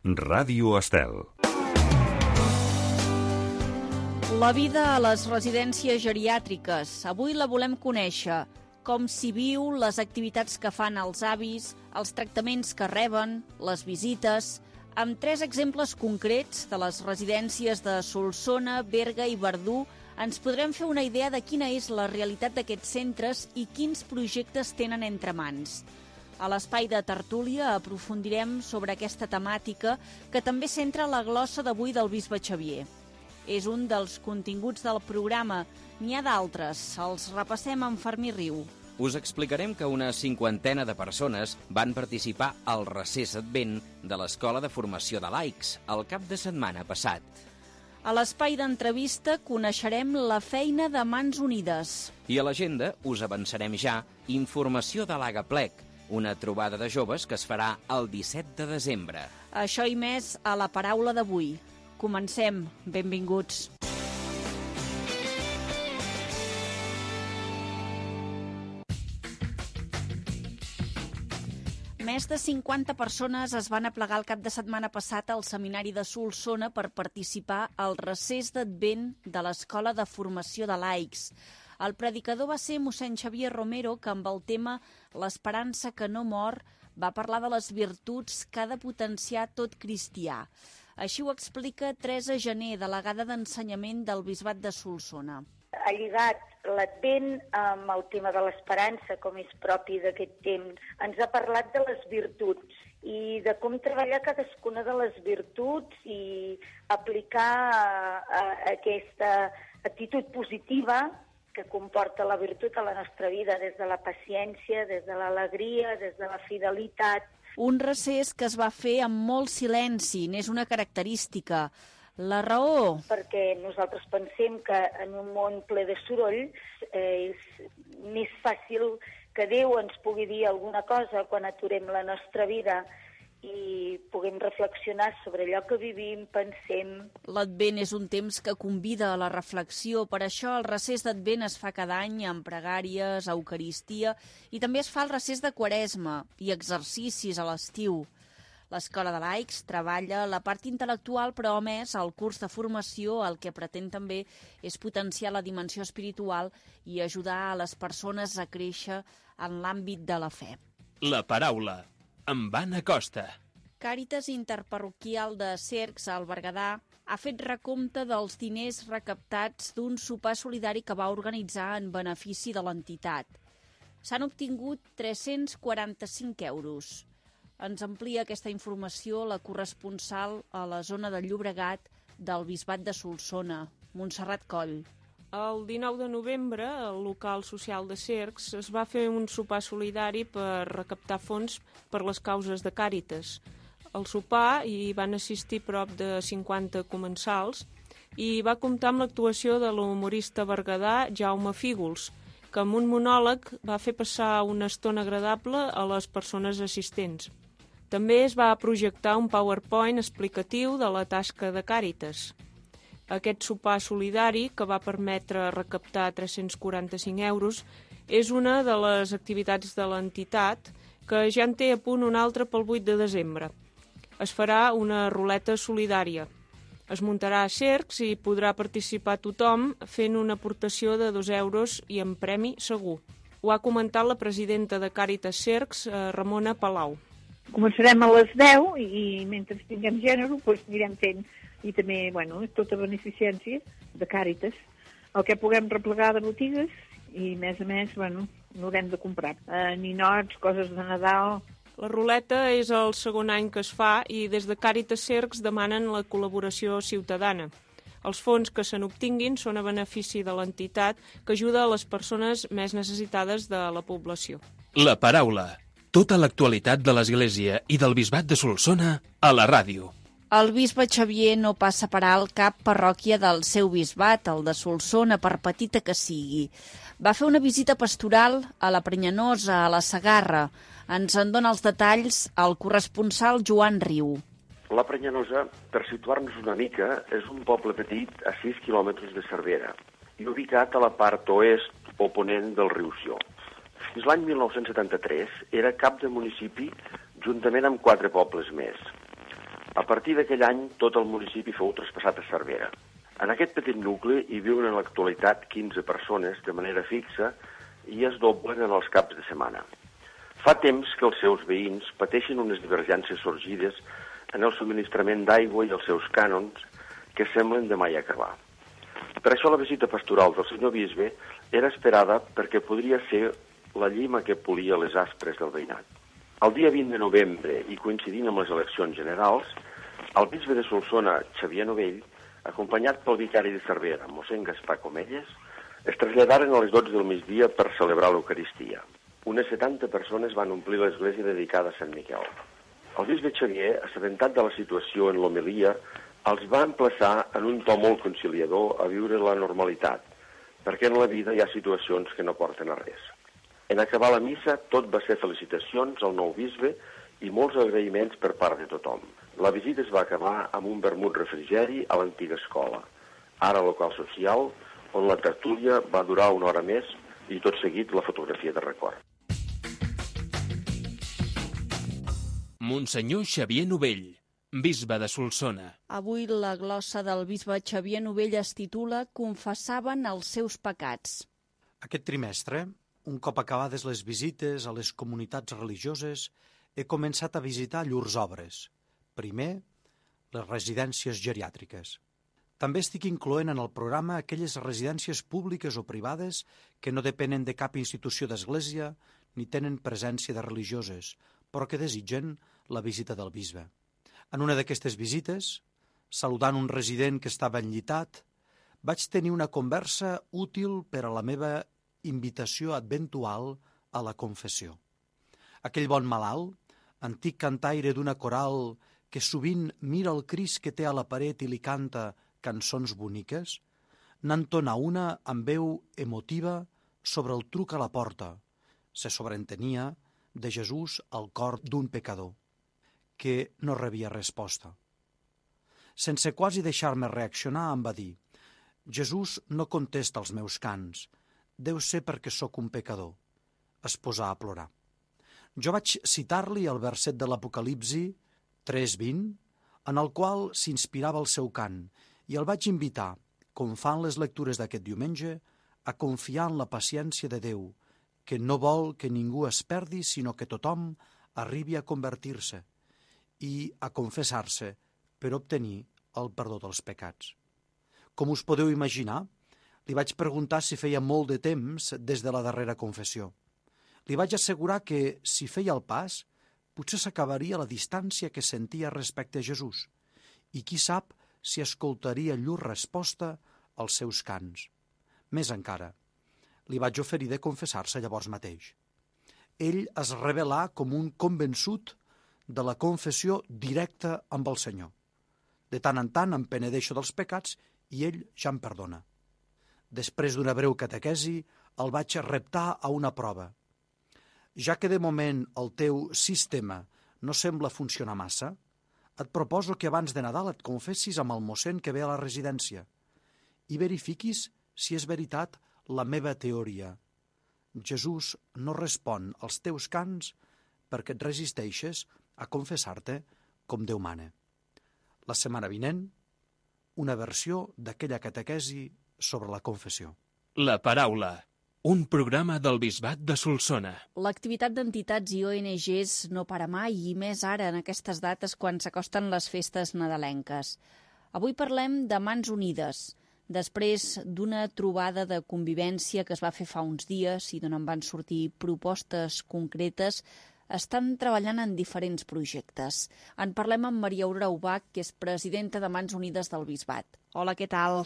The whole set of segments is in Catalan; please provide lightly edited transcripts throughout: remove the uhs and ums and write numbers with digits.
Ràdio Estel. La vida a les residències geriàtriques. Avui la volem conèixer. Com s'hi viu, les activitats que fan els avis, els tractaments que reben, les visites, amb 3 exemples concrets de les residències de Solsona, Berga i Verdú, ens podrem fer una idea de quina és la realitat d'aquests centres i quins projectes tenen entre mans. A l'espai de tertúlia aprofundirem sobre aquesta temàtica que també centra la glossa d'avui del bisbe Xavier. És un dels continguts del programa. N'hi ha d'altres. Els repassem amb Fermí Riu. Us explicarem que una 50ena de persones van participar al recés advent de l'Escola de Formació de Laics el cap de setmana passat. A l'espai d'entrevista coneixerem la feina de Mans Unides. I a l'agenda us avançarem ja informació de l'Agaplec, una trobada de joves que es farà el 17 de desembre. Això i més a La Paraula d'avui. Comencem. Benvinguts. Més de 50 persones es van aplegar el cap de setmana passat al seminari de Solsona per participar al recés d'advent de l'Escola de Formació de Laics. El predicador va ser mossèn Xavier Romero, que amb el tema L'esperança que no mor va parlar de les virtuts que ha de potenciar tot cristià. Així ho explica Teresa Gené, delegada d'Ensenyament del Bisbat de Solsona. Ha lligat l'Advent amb el tema de l'esperança, com és propi d'aquest temps. Ens ha parlat de les virtuts i de com treballar cadascuna de les virtuts i aplicar aquesta actitud positiva que comporta la virtut a la nostra vida, des de la paciència, des de l'alegria, des de la fidelitat. Un recés que es va fer amb molt silenci, n'és una característica. La raó? Perquè nosaltres pensem que en un món ple de soroll és més fàcil que Déu ens pugui dir alguna cosa quan aturem la nostra vida i puguem reflexionar sobre allò que vivim, pensem. L'Advent és un temps que convida a la reflexió, per això el recés d'Advent es fa cada any amb pregàries, eucaristia, i també es fa el recés de Quaresma i exercicis a l'estiu. L'Escola de Laics treballa la part intel·lectual, però a més el curs de formació el que pretén també és potenciar la dimensió espiritual i ajudar a les persones a créixer en l'àmbit de la fe. La Paraula, amb Anna Costa. Càritas Interparroquial de Cercs, al Berguedà, ha fet recompte dels diners recaptats d'un sopar solidari que va organitzar en benefici de l'entitat. S'han obtingut 345 euros. Ens amplia aquesta informació la corresponsal a la zona del Llobregat del Bisbat de Solsona, Montserrat Coll. El 19 de novembre, al local social de Cercs, es va fer un sopar solidari per recaptar fons per les causes de Càritas. Al sopar hi van assistir prop de 50 comensals i va comptar amb l'actuació de l'humorista berguedà Jaume Fígols, que amb un monòleg va fer passar una estona agradable a les persones assistents. També es va projectar un PowerPoint explicatiu de la tasca de Càritas. Aquest sopar solidari, que va permetre recaptar 345 euros, és una de les activitats de l'entitat que ja en té a punt una altra pel 8 de desembre. Es farà una ruleta solidària. Es muntarà a Cercs i podrà participar tothom fent una aportació de 2 euros i en premi segur. Ho ha comentat la presidenta de Càritas Cercs, Ramona Palau. Començarem a les 10 i mentre tinguem gènere anirem fent. I també, és tota beneficència de Càritas. El que puguem replegar de botigues i, a més, n'haurem de comprar. Ninots, coses de Nadal. La ruleta és el segon any que es fa i des de Càritas Cercs demanen la col·laboració ciutadana. Els fons que se n'obtinguin són a benefici de l'entitat que ajuda a les persones més necessitades de la població. La Paraula. Tota l'actualitat de l'Església i del Bisbat de Solsona a la ràdio. El bisbe Xavier no passa per alt cap parròquia del seu bisbat, el de Solsona, per petita que sigui. Va fer una visita pastoral a la Prenyanosa, a la Segarra. Ens en dona els detalls el corresponsal Joan Riu. La Prenyanosa, per situar-nos una mica, és un poble petit a 6 quilòmetres de Cervera i ubicat a la part oest o ponent del riu Sió. Fins l'any 1973 era cap de municipi juntament amb 4 pobles més. A partir d'aquell any, tot el municipi fou traspassat a Cervera. En aquest petit nucli hi viuen en l'actualitat 15 persones de manera fixa i es doblen en els caps de setmana. Fa temps que els seus veïns pateixen unes divergències sorgides en el subministrament d'aigua i els seus cànons que semblen de mai acabar. Per això la visita pastoral del senyor bisbe era esperada perquè podria ser la llima que polia les aspres del veïnat. El dia 20 de novembre, i coincidint amb les eleccions generals, el bisbe de Solsona, Xavier Novell, acompanyat pel vicari de Cervera, mossèn Gaspar Comelles, es traslladaren a les 12 del migdia per celebrar l'Eucaristia. Unes 70 persones van omplir l'església dedicada a Sant Miquel. El bisbe Xavier, assabentat de la situació en l'homilia, els va emplaçar en un to molt conciliador a viure la normalitat, perquè en la vida hi ha situacions que no porten a res. En acabar la missa, tot va ser felicitacions al nou bisbe i molts agraïments per part de tothom. La visita es va acabar amb un vermut refrigeri a l'antiga escola, ara local social, on la tertúlia va durar una hora més i tot seguit la fotografia de record. Monsenyor Xavier Novell, bisbe de Solsona. Avui la glossa del bisbe Xavier Novell es titula Confessaven els seus pecats. Aquest trimestre, un cop acabades les visites a les comunitats religioses, he començat a visitar llurs obres. Primer, les residències geriàtriques. També estic incloent en el programa aquelles residències públiques o privades que no depenen de cap institució d'església ni tenen presència de religioses, però que desitgen la visita del bisbe. En una d'aquestes visites, saludant un resident que estava enllitat, vaig tenir una conversa útil per a la meva invitació adventual a la confessió. Aquell bon malalt, antic cantaire d'una coral que sovint mira el Crist que té a la paret i li canta cançons boniques, n'entona una amb veu emotiva sobre el truc a la porta. Se sobreentenia de Jesús al cor d'un pecador, que no rebia resposta. Sense quasi deixar-me reaccionar, em va dir: «Jesús no contesta els meus cants, deu ser perquè sóc un pecador». Es posà a plorar. Jo vaig citar-li el verset de l'Apocalipsi 3:20, en el qual s'inspirava el seu cant, i el vaig invitar, com fan les lectures d'aquest diumenge, a confiar en la paciència de Déu, que no vol que ningú es perdi, sinó que tothom arribi a convertir-se i a confessar-se per obtenir el perdó dels pecats. Com us podeu imaginar, li vaig preguntar si feia molt de temps des de la darrera confessió. Li vaig assegurar que, si feia el pas, potser s'acabaria la distància que sentia respecte a Jesús, i qui sap si escoltaria llur resposta als seus cants. Més encara, li vaig oferir de confessar-se llavors mateix. Ell es revelà com un convençut de la confessió directa amb el Senyor. De tant en tant em penedeixo dels pecats i ell ja em perdona. Després d'una breu catequesi, el vaig reptar a una prova. Ja que de moment el teu sistema no sembla funcionar massa, et proposo que abans de Nadal et confessis amb el mossèn que ve a la residència i verifiquis si és veritat la meva teoria. Jesús no respon als teus cants perquè et resisteixes a confessar-te com Déu mana. La setmana vinent, una versió d'aquella catequesi sobre la confessió. La paraula, un programa del Bisbat de Solsona. L'activitat d'entitats i ONGs no para mai, i més ara en aquestes dates quan s'acosten les festes nadalenques. Avui parlem de Mans Unides, després d'una trobada de convivència que es va fer fa uns dies i d'on en van sortir propostes concretes. Estan treballant en diferents projectes. En parlem amb Maria Aurora Ubach, que és presidenta de Mans Unides del Bisbat. Hola, què tal?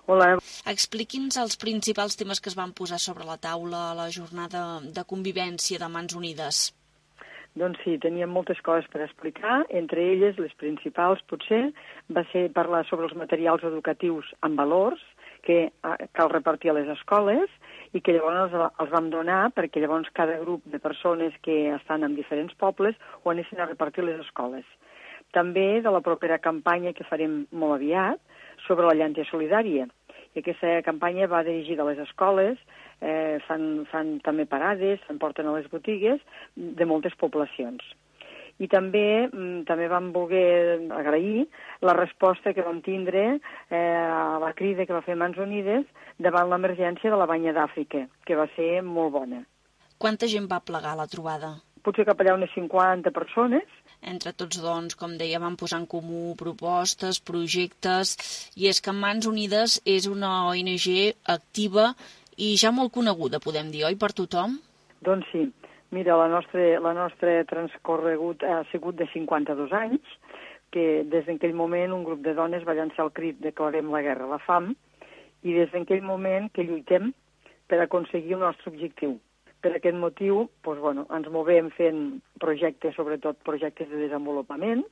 Hola. Expliqui'ns els principals temes que es van posar sobre la taula a la jornada de convivència de Mans Unides. Doncs sí, teníem moltes coses per explicar. Entre elles, les principals, potser, va ser parlar sobre els materials educatius amb valors que cal repartir a les escoles i que llavors els vam donar perquè llavors cada grup de persones que estan en diferents pobles ho anessin a repartir a les escoles. També de la propera campanya que farem molt aviat sobre la llàntia solidària. I aquesta campanya va dirigida a les escoles, fan també parades, s'emporten a les botigues de moltes poblacions. I també vam voler agrair la resposta que vam tindre a la crida que va fer Mans Unides davant l'emergència de la banya d'Àfrica, que va ser molt bona. Quanta gent va plegar a la trobada? Potser cap allà unes 50 persones. Entre tots, doncs, com deia, van posar en comú propostes, projectes, i és que Mans Unides és una ONG activa i ja molt coneguda, podem dir, oi, per tothom? Doncs sí. Mira, la nostra transcorregut ha sigut de 52 anys, que des d'aquell moment un grup de dones va llançar el crit "Declarem la guerra a la fam", i des d'aquell moment que lluitem per aconseguir el nostre objectiu. Per aquest motiu, ens movem fent projectes, sobretot projectes de desenvolupament,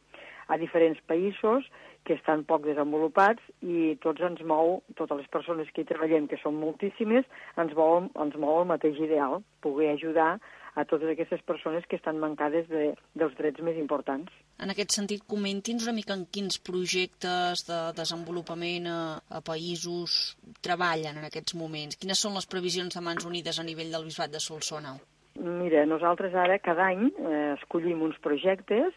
a diferents països que estan poc desenvolupats, i totes les persones que hi treballem, que són moltíssimes, ens mou el mateix ideal, poder ajudar a totes aquestes persones que estan mancades dels drets més importants. En aquest sentit, comenti'ns una mica en quins projectes de desenvolupament a països treballen en aquests moments. Quines són les previsions de Mans Unides a nivell del Bisbat de Solsona? Mira, nosaltres ara cada any escollim uns projectes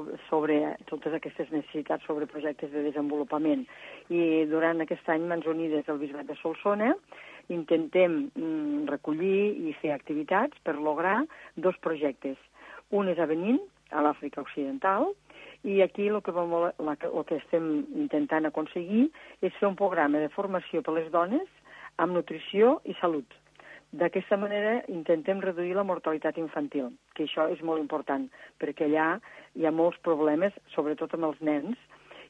sobre totes aquestes necessitats, sobre projectes de desenvolupament. I durant aquest any, Mans Unides del Bisbat de Solsona intentem recollir i fer activitats per lograr 2 projectes. Un és a Benín, a l'Àfrica Occidental, i aquí el que estem intentant aconseguir és fer un programa de formació per a les dones amb nutrició i salut. D'aquesta manera intentem reduir la mortalitat infantil, que això és molt important, perquè allà hi ha molts problemes, sobretot amb els nens,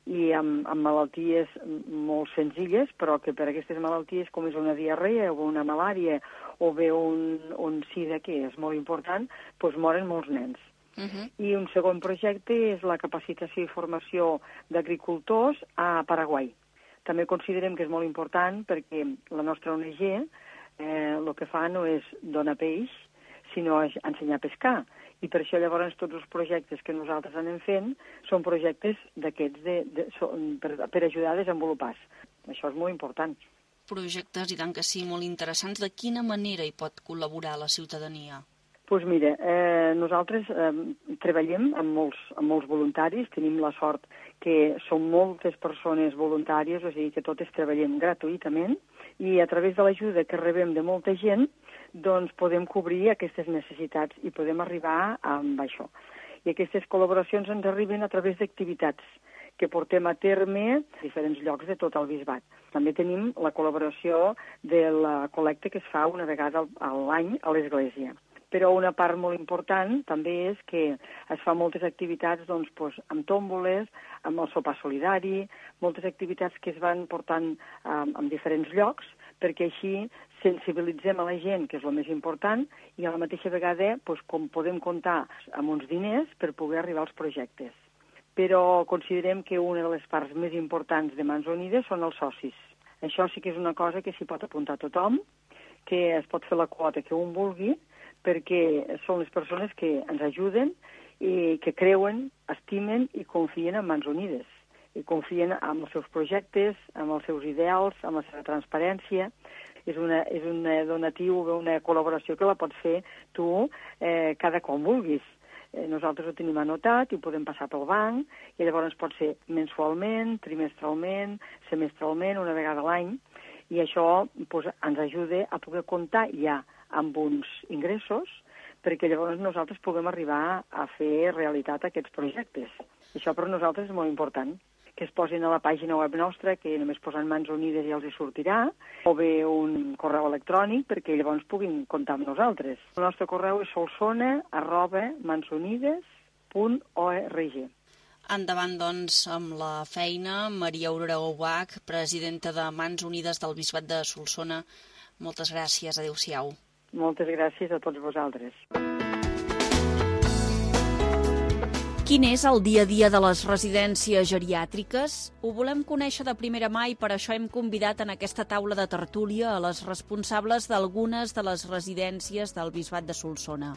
i amb malalties molt senzilles, però que per aquestes malalties, com és una diarrea o una malària o bé un sida, que és molt important, doncs moren molts nens. I un segon projecte és la capacitació i formació d'agricultors a Paraguai. També considerem que és molt important perquè la nostra ONG el que fa no és donar peix, sinó ensenyar a pescar. I per això llavors tots els projectes que nosaltres anem fent són projectes d'aquests per ajudar a desenvolupar. Això és molt important. Projectes, i tant que sí, molt interessants. De quina manera hi pot col·laborar la ciutadania? Doncs mira, nosaltres treballem amb molts voluntaris, tenim la sort que són moltes persones voluntàries, o sigui que totes treballem gratuïtament, i a través de l'ajuda que rebem de molta gent, doncs podem cobrir aquestes necessitats i podem arribar amb això. I aquestes col·laboracions ens arriben a través d'activitats que portem a terme a diferents llocs de tot el Bisbat. També tenim la col·laboració de la col·lecta que es fa una vegada a l'any a l'Església. Però una part molt important també és que es fa moltes activitats amb tòmboles, amb el sopar solidari, moltes activitats que es van portant en diferents llocs, perquè així sensibilitzem a la gent, que és el més important, i a la mateixa vegada com podem comptar amb uns diners per poder arribar als projectes. Però considerem que una de les parts més importants de Mans Unides són els socis. Això sí que és una cosa que s'hi pot apuntar tothom, que es pot fer la quota que un vulgui, perquè són les persones que ens ajuden i que creuen, estimen i confien en Mans Unides. I confien en els seus projectes, en els seus ideals, en la seva transparència. És un donatiu, una col·laboració que la pots fer tu cada com vulguis. Nosaltres ho tenim anotat i ho podem passar pel banc, i llavors pot ser mensualment, trimestralment, semestralment, una vegada a l'any, i això ens ajuda a poder comptar ja amb uns ingressos, perquè llavors nosaltres puguem arribar a fer realitat aquests projectes. Això per nosaltres és molt important, que es posin a la pàgina web nostra, que només posen Mans Unides i els hi sortirà, o bé un correu electrònic perquè llavors puguin comptar amb nosaltres. El nostre correu és solsona@mansunides.org. Endavant, doncs, amb la feina. Maria Aurora Ubach, presidenta de Mans Unides del Bisbat de Solsona. Moltes gràcies. Adéu-siau. Moltes gràcies a tots vosaltres. Quin és el dia a dia de les residències geriàtriques? Ho volem conèixer de primera mà i per això hem convidat en aquesta taula de tertúlia a les responsables d'algunes de les residències del Bisbat de Solsona.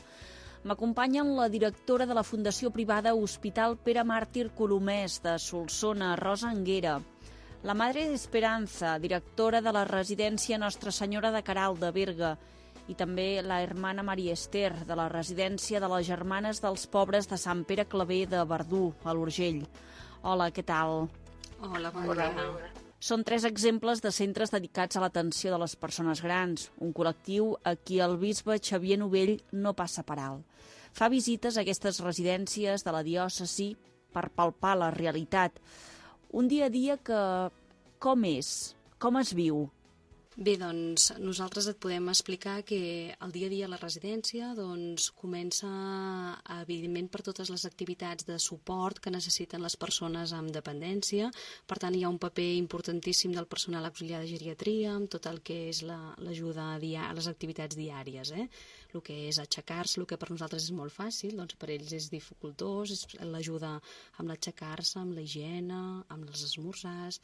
M'acompanyen la directora de la Fundació Privada Hospital Pere Màrtir Colomès de Solsona, Rosa Anguera, la Madre Esperanza, directora de la residència Nostra Senyora de Caral de Berga, i també la hermana Maria Ester, de la residència de les Germanes dels Pobres de Sant Pere Claver de Verdú, a l'Urgell. Hola, què tal? Hola, bon dia. Són 3 exemples de centres dedicats a l'atenció de les persones grans, un col·lectiu a qui el bisbe Xavier Novell no passa per alt. Fa visites a aquestes residències de la diòcesi per palpar la realitat. Un dia a dia que com és? Com es viu? Bé, doncs nosaltres et podem explicar que el dia a dia a la residència comença, evidentment, per totes les activitats de suport que necessiten les persones amb dependència. Per tant, hi ha un paper importantíssim del personal auxiliar de geriatria, amb tot el que és l'ajuda a les activitats diàries. El que és aixecar-se, el que per nosaltres és molt fàcil, doncs per ells és dificultós, és l'ajuda amb l'aixecar-se, amb la higiene, amb els esmorzars.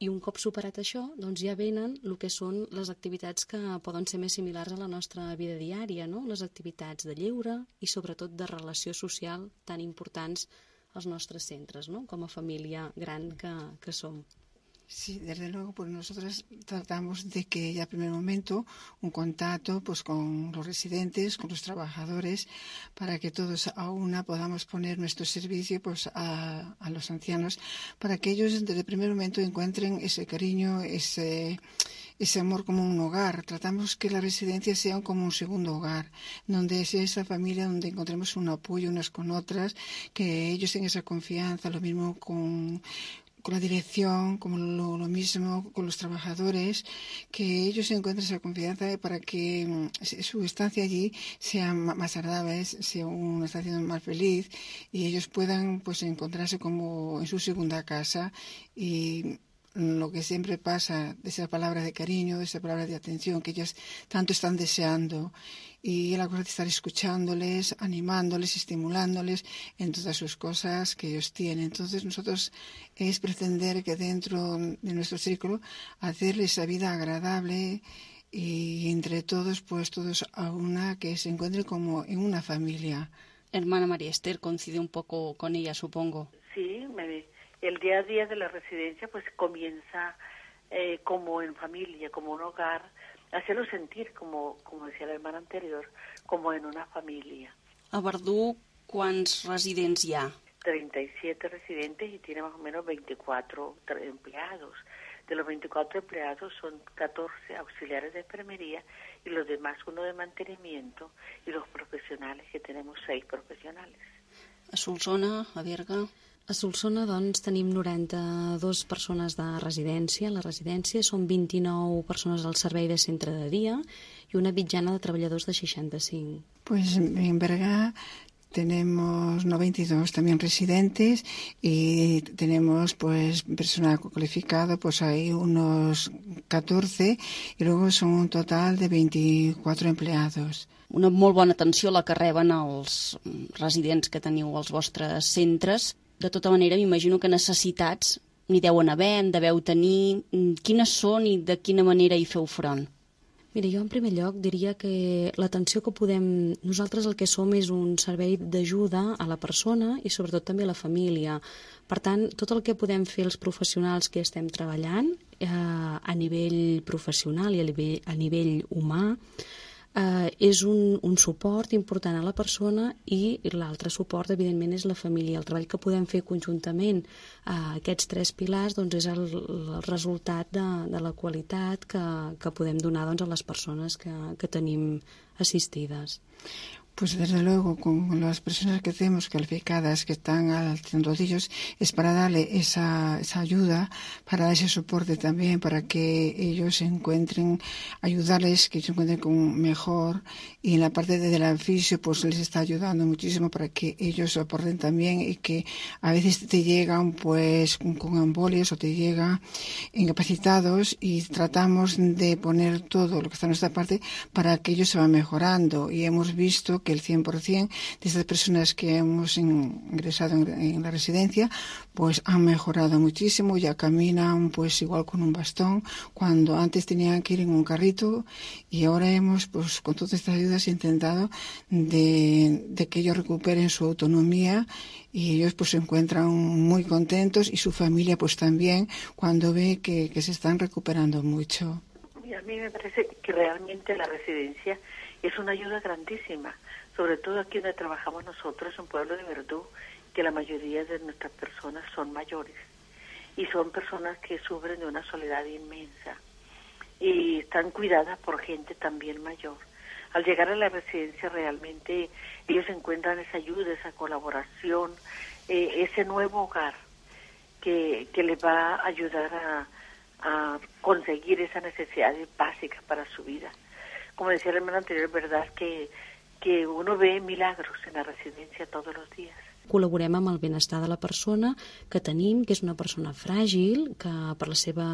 I un cop superat això, doncs ja venen el que són les activitats que poden ser més similars a la nostra vida diària, no? Les activitats de lleure i sobretot de relació social tan importants als nostres centres, ¿no? Com a família gran que som. Sí, desde luego, pues nosotros tratamos de que ya en primer momento un contacto pues con los residentes, con los trabajadores, para que todos a una podamos poner nuestro servicio pues a los ancianos, para que ellos desde el primer momento encuentren ese cariño, ese amor como un hogar. Tratamos que la residencia sea como un segundo hogar, donde sea esa familia donde encontremos un apoyo unas con otras, que ellos tengan esa confianza, lo mismo con la dirección, como lo mismo con los trabajadores, que ellos encuentren esa confianza para que su estancia allí sea más agradable, sea una estancia más feliz y ellos puedan pues encontrarse como en su segunda casa. Y lo que siempre pasa, de esa palabra de cariño, de esa palabra de atención que ellas tanto están deseando, y la cosa de estar escuchándoles, animándoles, estimulándoles en todas sus cosas que ellos tienen. Entonces nosotros es pretender que dentro de nuestro círculo hacerles esa vida agradable y entre todos, pues todos a una, que se encuentren como en una familia. Hermana María Ester, coincide un poco con ella, supongo. Sí, el día a día de la residencia pues comienza como en familia, como un hogar, hacerlo sentir, como decía la hermana anterior, como en una familia. A Verdú, ¿cuántos residents hi ha? 37 residentes y tiene más o menos 24 empleados. De los 24 empleados son 14 auxiliares de enfermería y los demás uno de mantenimiento y los profesionales, que tenemos 6 profesionales. A Solsona, a Berga... A Solsona, doncs, tenim 92 persones de residència. A la residència són 29 persones al servei de centre de dia i una mitjana de treballadors de 65. Pues en Berga tenemos 92 también residentes y tenemos pues personal cualificado, pues hay unos 14 y luego son un total de 24 empleados. Una molt bona atenció la que reben els residents que teniu als vostres centres. De tota manera, m'imagino que necessitats n'hi deuen haver, en deveu tenir. Quines són i de quina manera hi feu front? Mira, jo en primer lloc diria que l'atenció que podem... Nosaltres el que som és un servei d'ajuda a la persona i sobretot també a la família. Per tant, tot el que podem fer els professionals que estem treballant a nivell professional i a nivell humà és un suport important a la persona i l'altre suport, evidentment, és la família. El treball que podem fer conjuntament a aquests 3 pilars doncs, és el resultat de la qualitat que podem donar doncs, a les persones que tenim assistides. Pues desde luego, con las personas que tenemos calificadas, que están al rodillos, es para darle esa ayuda, para dar ese soporte también, para que ellos se encuentren, ayudarles, que se encuentren con mejor. Y en la parte de la fisio, pues les está ayudando muchísimo para que ellos soporten también y que a veces te llegan pues con embolias o te llegan incapacitados y tratamos de poner todo lo que está en nuestra parte para que ellos se van mejorando. Y hemos visto que el 100% de estas personas que hemos ingresado en la residencia pues han mejorado muchísimo, ya caminan pues igual con un bastón, cuando antes tenían que ir en un carrito, y ahora hemos pues con todas estas ayudas intentado de que ellos recuperen su autonomía y ellos pues se encuentran muy contentos y su familia pues también cuando ve que se están recuperando mucho. Y a mí me parece que realmente la residencia es una ayuda grandísima, sobre todo aquí donde trabajamos nosotros, en Pueblo de Verdú, que la mayoría de nuestras personas son mayores y son personas que sufren de una soledad inmensa y están cuidadas por gente también mayor. Al llegar a la residencia realmente ellos encuentran esa ayuda, esa colaboración, ese nuevo hogar que les va a ayudar a conseguir esas necesidades básicas para su vida. Como decía el hermano anterior, es verdad que uno ve milagros en la residencia todos los días. Col·laborem amb el benestar de la persona que tenim, que és una persona fràgil, que per la seva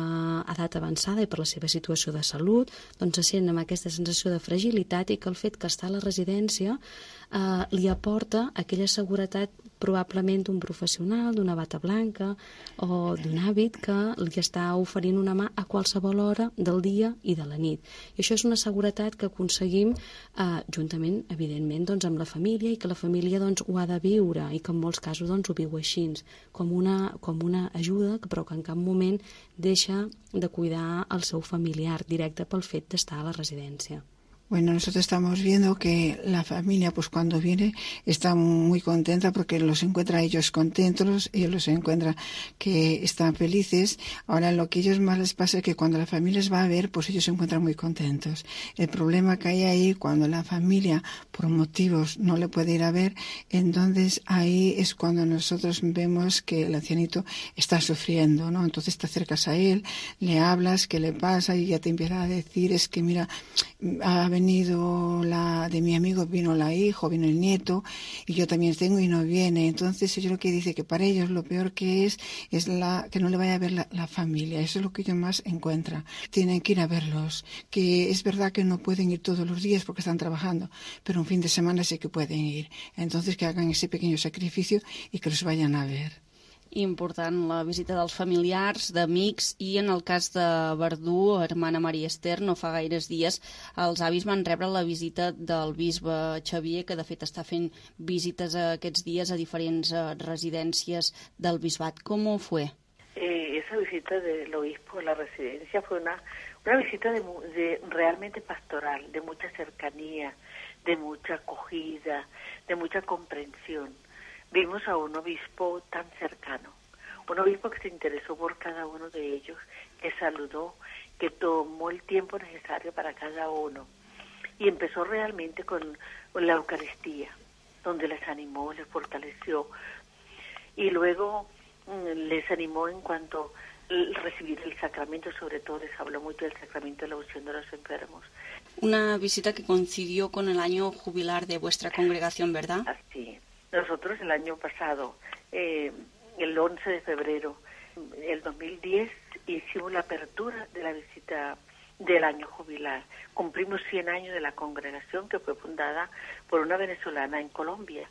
edat avançada i per la seva situació de salut doncs se sent amb aquesta sensació de fragilitat i que el fet que està a la residència li aporta aquella seguretat probablement d'un professional, d'una bata blanca o d'un hàbit que li està oferint una mà a qualsevol hora del dia i de la nit. I això és una seguretat que aconseguim juntament, evidentment, doncs, amb la família i que la família doncs, ho ha de viure i que en molts casos doncs, ho viu així, com una ajuda, però que en cap moment deixa de cuidar el seu familiar directe pel fet d'estar a la residència. Bueno, nosotros estamos viendo que la familia, pues cuando viene, está muy contenta porque los encuentra a ellos contentos, ellos los encuentran que están felices. Ahora, lo que a ellos más les pasa es que cuando la familia les va a ver, pues ellos se encuentran muy contentos. El problema que hay ahí, cuando la familia, por motivos, no le puede ir a ver, entonces ahí es cuando nosotros vemos que el ancianito está sufriendo, ¿no? Entonces te acercas a él, le hablas, ¿qué le pasa? Y ya te empieza a decir, es que mira, ha venido de mi amigo, vino la hija, vino el nieto, y yo también tengo y no viene. Entonces ellos lo que dice que para ellos lo peor que es que no le vaya a ver la familia. Eso es lo que ellos más encuentran. Tienen que ir a verlos, que es verdad que no pueden ir todos los días porque están trabajando, pero un fin de semana sí que pueden ir. Entonces que hagan ese pequeño sacrificio y que los vayan a ver. Important la visita dels familiars, d'amics, i en el cas de Verdú, hermana Maria Esther, no fa gaires dies els avis van rebre la visita del bisbe Xavier, que de fet està fent visites aquests dies a diferents residències del bisbat. ¿Cómo fue? Esa visita del obispo a la residencia fue una visita de realmente pastoral, de mucha cercanía, de mucha acogida, de mucha comprensión. Vimos a un obispo tan cercano, un obispo que se interesó por cada uno de ellos, que saludó, que tomó el tiempo necesario para cada uno y empezó realmente con la Eucaristía, donde les animó, les fortaleció y luego les animó en cuanto a recibir el sacramento, sobre todo les habló mucho del sacramento de la unción de los enfermos. Una visita que coincidió con el año jubilar de vuestra congregación, ¿verdad? Así. Nosotros el año pasado, el 11 de febrero del 2010, hicimos la apertura de la visita del año jubilar. Cumplimos 100 años de la congregación que fue fundada por una venezolana en Colombia.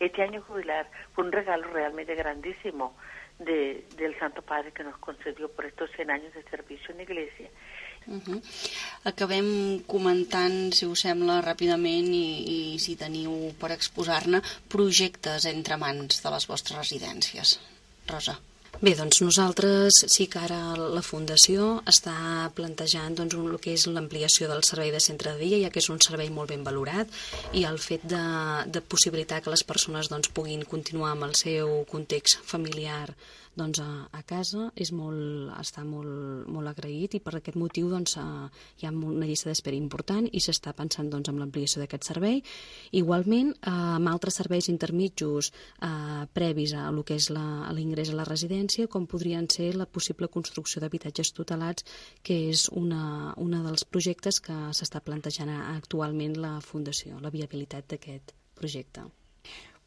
Este año jubilar fue un regalo realmente grandísimo del Santo Padre que nos concedió por estos 100 años de servicio en la Iglesia. Acabem comentant, si us sembla, ràpidament i si teniu per exposar-ne projectes entre mans de les vostres residències. Rosa. Bé, doncs nosaltres sí que ara la Fundació està plantejant doncs, el que és l'ampliació del servei de centre de dia, ja que és un servei molt ben valorat, i el fet de possibilitar que les persones doncs, puguin continuar amb el seu context familiar doncs, a casa està molt agraït i per aquest motiu doncs, hi ha una llista d'espera important i s'està pensant doncs, en l'ampliació d'aquest servei. Igualment, amb altres serveis intermitjos previs a el que és l'ingrés a la residència, com podrien ser la possible construcció d'habitatges tutelats, que és un dels projectes que s'està plantejant actualment la Fundació, la viabilitat d'aquest projecte.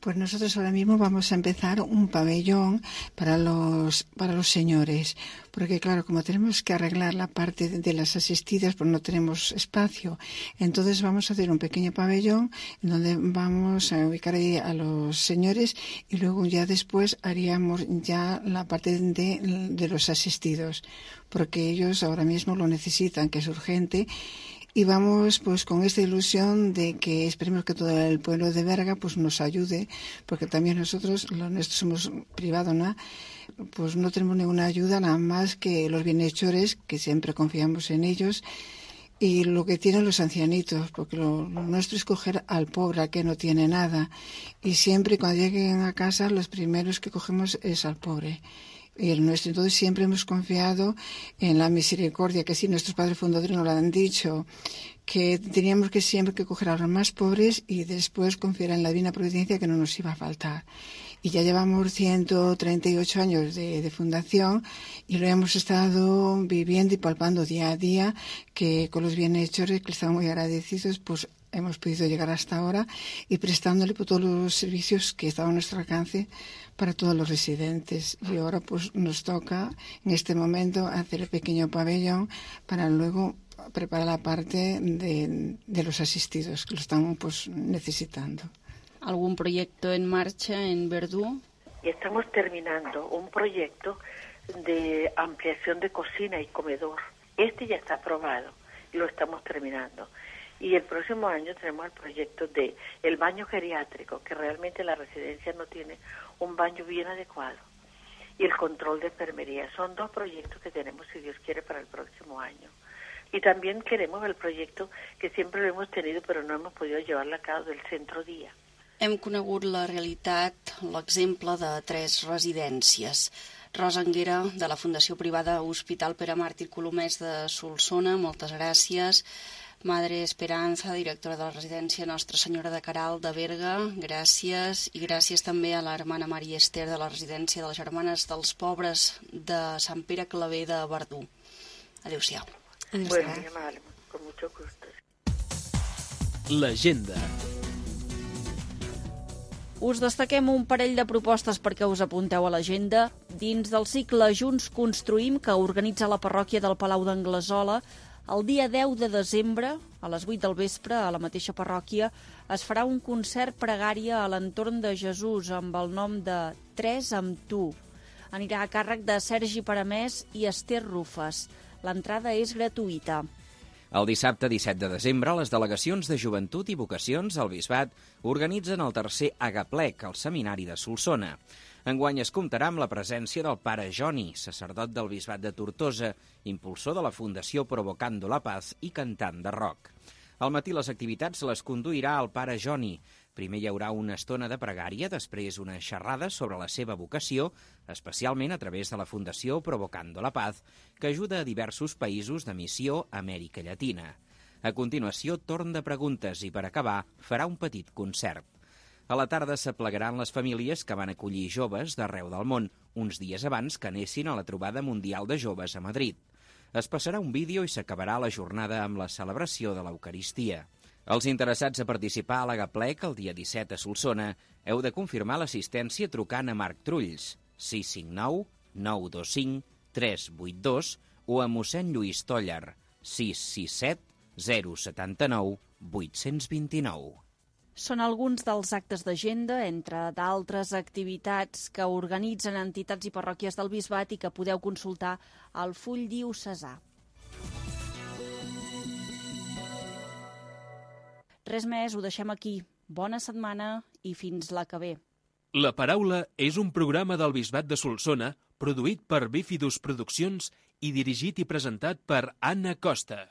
Pues nosotros ahora mismo vamos a empezar un pabellón para los señores, porque claro, como tenemos que arreglar la parte de las asistidas, pues no tenemos espacio. Entonces vamos a hacer un pequeño pabellón en donde vamos a ubicar ahí a los señores y luego ya después haríamos ya la parte de los asistidos, porque ellos ahora mismo lo necesitan, que es urgente. Y vamos pues con esta ilusión de que esperemos que todo el pueblo de Berga pues nos ayude, porque también nosotros somos privado, ¿no? Pues no tenemos ninguna ayuda nada más que los bienhechores, que siempre confiamos en ellos, y lo que tienen los ancianitos, porque lo nuestro es coger al pobre, al que no tiene nada. Y siempre cuando lleguen a casa, los primeros que cogemos es al pobre. Y el nuestro, entonces siempre hemos confiado en la misericordia, que sí, nuestros padres fundadores nos lo han dicho, que teníamos que siempre que coger a los más pobres y después confiar en la divina providencia que no nos iba a faltar. Y ya llevamos 138 años de fundación y lo hemos estado viviendo y palpando día a día, que con los bienhechores, que estamos muy agradecidos, pues hemos podido llegar hasta ahora y prestándole por todos los servicios que estaban a nuestro alcance para todos los residentes. Y ahora pues nos toca en este momento hacer el pequeño pabellón para luego preparar la parte de los asistidos, que lo están pues necesitando. ¿Algún proyecto en marcha en Verdú? Y estamos terminando un proyecto de ampliación de cocina y comedor. Este ya está aprobado y lo estamos terminando. Y el próximo año tenemos el proyecto de el baño geriátrico, que realmente la residencia no tiene un baño bien adecuado. Y el control de enfermería. Son 2 proyectos que tenemos, si Dios quiere, para el próximo año. Y también queremos el proyecto que siempre lo hemos tenido, pero no hemos podido llevarlo a cabo, del centro dia. Hem conegut la realitat, l'exemple de 3 residències. Rosa Anguera, de la Fundació Privada Hospital Pere Màrtir Colomers de Solsona, moltes gràcies. Madre Esperanza, directora de la residència Nostra Senyora de Caral de Berga, gràcies. I gràcies també a la hermana Maria Esther de la residència de les Germanes dels Pobres de Sant Pere Claver de Verdú. Adéu-siau. Bueno, mi amable, con mucho gusto. L'agenda. Us destaquem un parell de propostes perquè us apunteu a l'agenda. Dins del cicle Junts Construïm, que organitza la parròquia del Palau d'Anglesola, el dia 10 de desembre, a les 8 del vespre, a la mateixa parròquia, es farà un concert pregària a l'entorn de Jesús amb el nom de 3 amb tu. Anirà a càrrec de Sergi Paramès i Esther Rufes. L'entrada és gratuïta. El dissabte 17 de desembre, les delegacions de Joventut i Vocacions al Bisbat organitzen el 3è Agaplec al Seminari de Solsona. Enguany es comptarà amb la presència del pare Joni, sacerdot del Bisbat de Tortosa, impulsor de la Fundació Provocando la Paz i cantant de rock. Al matí les activitats les conduirà el pare Joni. Primer hi haurà una estona de pregària, després una xerrada sobre la seva vocació, especialment a través de la Fundació Provocando la Paz, que ajuda a diversos països de missió a Amèrica Llatina. A continuació, torn de preguntes i, per acabar, farà un petit concert. A la tarda s'aplegaran les famílies que van acollir joves d'arreu del món, uns dies abans que anessin a la trobada mundial de joves a Madrid. Es passarà un vídeo i s'acabarà la jornada amb la celebració de l'Eucaristia. Els interessats a participar a l'Agaplec el dia 17 a Solsona heu de confirmar l'assistència trucant a Marc Trulls, 659 925 382 o a mossèn Lluís Tollar, 667 079 829. Són alguns dels actes d'agenda, entre d'altres activitats que organitzen entitats i parròquies del Bisbat i que podeu consultar al full diocesà. Res més, ho deixem aquí. Bona setmana i fins la que ve. La Paraula és un programa del Bisbat de Solsona produït per Bífidus Produccions i dirigit i presentat per Anna Costa.